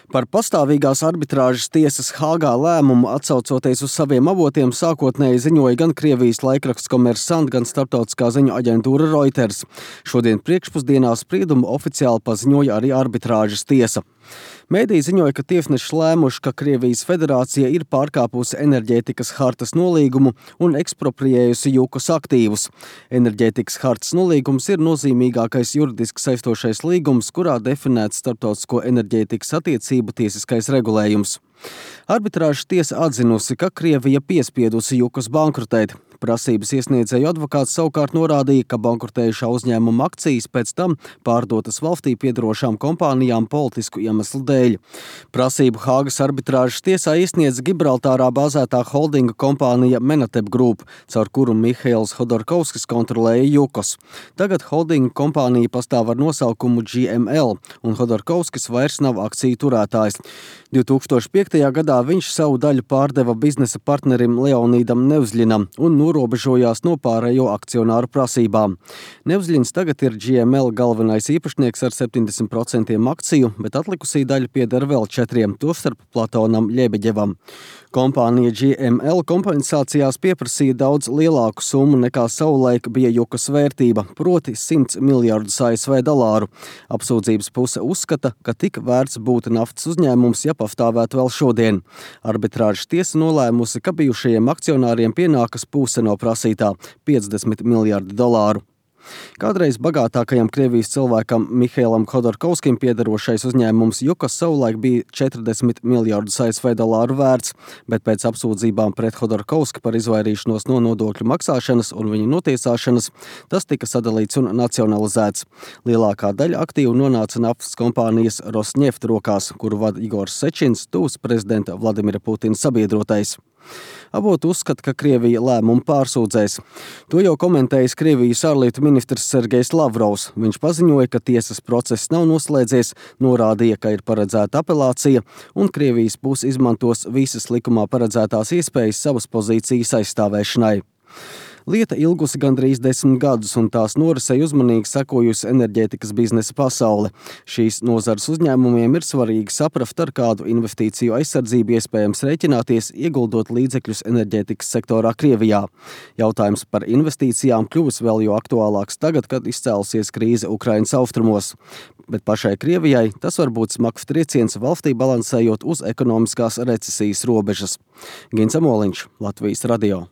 Par pastāvīgās arbitrāžas tiesas Hāgā lēmumu atsaucoties uz saviem avotiem sākotnēji ziņoja gan Krievijas laikraksts Kommersant, gan starptautiskā ziņu aģentūra Reuters. Šodien priekšpusdienā spriedumu oficiāli paziņoja arī arbitrāžas tiesa. Mēdī ziņoja, ka tiesneši lēmuši, ka Krievijas federācija ir pārkāpusi enerģētikas hartas nolīgumu un ekspropriējusi Jukas aktīvus. Enerģētikas hartas nolīgums ir nozīmīgākais juridiski saistošais līgums, kurā definēts starptautisko enerģētikas attiecību tiesiskais regulējums. Arbitrāžas tiesa atzinusi, ka Krievija piespiedusi Jukas bankrotēt. Prasības iesniedzēju advokāts savukārt norādīja, ka bankrotējušā uzņēmuma akcijas pēc tam pārdotas valstī piedarošām kompānijām politisku iemeslu dēļ. Prasību Hāgas arbitrāžas tiesā iesniedz Gibraltārā bāzētā holdinga kompānija Menatep Group, caur kuru Mihails Hodorkovskis kontrolēja Jukas. Tagad holdinga kompānija pastāv ar nosaukumu GML, un Hodorkovskis vairs nav akciju turētājs. 2005. gadā viņš savu daļu pārdeva biznesa partnerim Leonīdam Nevzļinam un norobežojās no pārējo akcionāru prasībām. Nevzļins tagad ir GML galvenais īpašnieks ar 70% akciju, bet atlikusī daļa pieder vēl 4, tostarp Platonam Ļebeģevam. Kompānija GML kompensācijās pieprasīja daudz lielāku summu nekā savulaik bija Jukas vērtība, proti $100 miljardus ASV. Apsūdzības puse uzskata, ka tik vērts būtu naftas uzņēmums, ja pastāvētu vēl šodien. Arbitrāžas tiesa nolēmusi, ka bijušajiem akcionāriem pienākas puse no prasītā – $50 miljardi. Kādreiz bagātākajam Krievijas cilvēkam Mihailam Hodorkovskim piederošais uzņēmums Jukas savulaik bija $40 miljardus ASV vērts, bet pēc apsūdzībām pret Hodorkovski par izvairīšanos no nodokļu maksāšanas un viņa notiesāšanas tas tika sadalīts un nacionalizēts. Lielākā daļa aktīvu nonāca naftas kompānijas Rosneft rokās, kuru vada Igors Sečins, tuvs prezidenta Vladimira Putina sabiedrotais. Avoti uzskata, ka Krievija lēmumu pārsūdzēs. To jau komentējis Krievijas ārlietu ministrs Sergejs Lavrovs. Viņš paziņoja, ka tiesas process nav noslēdzies, norādīja, ka ir paredzēta apelācija un Krievijas puse izmantos visas likumā paredzētās iespējas savas pozīcijas aizstāvēšanai. Lieta ilgusi gandrīz 10 gadus, un tās norisei uzmanīgi sekojusi enerģētikas biznesa pasaule. Šīs nozares uzņēmumiem ir svarīgi saprast, ar kādu investīciju aizsardzību iespējams rēķināties, ieguldot līdzekļus enerģētikas sektorā Krievijā. Jautājums par investīcijām kļuvis vēl jo aktuālāks tagad, kad izcēlusies krīze Ukrainas austrumos. Bet pašai Krievijai tas var būt smags trieciens valstī balansējot uz ekonomiskās recesijas robežas. Gins Amoliņš, Latvijas radio.